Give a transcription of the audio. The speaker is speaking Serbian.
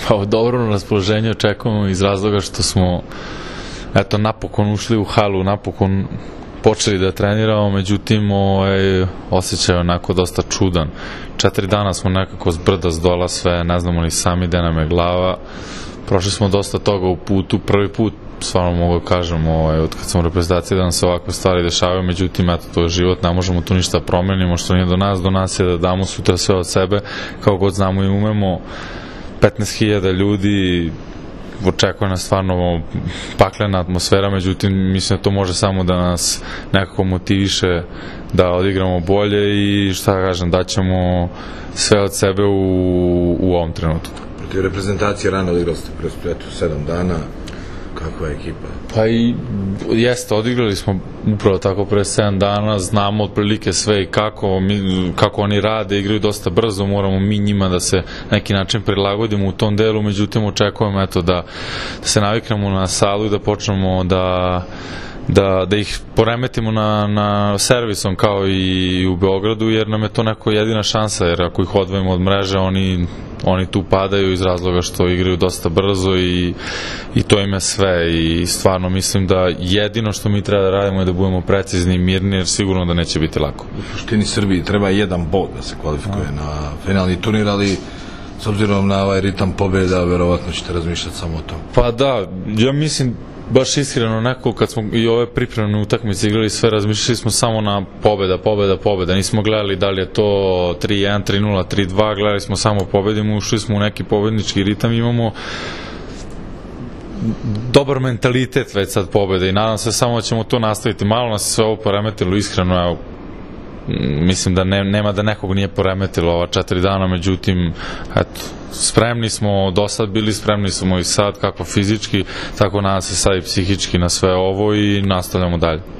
Pa dobro raspoloženje očekujemo iz razloga što smo napokon ušli u halu, napokon počeli da treniramo, međutim osjećaj je onako dosta čudan. 4 dana smo nekako s brda s dola sve, ne znamo ni sami gde nam je glava. Prošli smo dosta toga u putu, prvi put stvarno mogu da kažem od kad sam u reprezentaciji da nam se ovakve stvari dešavaju, međutim to je život, ne možemo tu ništa promenimo, što nije do nas je da damo sutra sve od sebe kao god znamo i umemo. 15.000 ljudi, očekuje nas stvarno paklena atmosfera, međutim mislim da to može samo da nas nekako motiviše da odigramo bolje i šta kažem, daćemo sve od sebe u ovom trenutku. Protiv reprezentacije rano odigrali ste pre Splitu 7 dana, kakva je ekipa? Pa i jeste, odigrali smo upravo tako pre 7 dana, znamo otprilike sve i kako oni rade, igraju dosta brzo, moramo mi njima da se neki način prilagodimo u tom delu, međutim očekujemo da se naviknemo na salu i da počnemo da ih poremetimo na servisom kao i u Beogradu, jer nam je to neko jedina šansa, jer ako ih odvojimo od mreže, oni tu padaju iz razloga što igraju dosta brzo i to im je sve i stvarno mislim da jedino što mi treba da radimo je da budemo precizni i mirni, jer sigurno da neće biti lako. U suštini Srbiji treba jedan bod da se kvalifikuje na finalni turnir, ali s obzirom na ovaj ritam pobjeda, verovatno ćete razmišljati samo o tom. Pa da, ja mislim baš iskreno nekako kad smo i ove pripremne utakmice igrali sve, razmišljali smo samo na pobjeda, nismo gledali da li je to 3-1, 3-0, 3-2, gledali smo samo pobedimo, ušli smo u neki pobednički ritam, imamo dobar mentalitet već sad pobjede i nadam se samo da ćemo to nastaviti. Malo nas je sve ovo poremetilo, iskreno, evo, mislim da nema da nekog nije poremetilo ova 4 dana, međutim, eto, spremni smo, do sad bili spremni smo i sad, kako fizički, tako nadam se sad i psihički na sve ovo i nastavljamo dalje.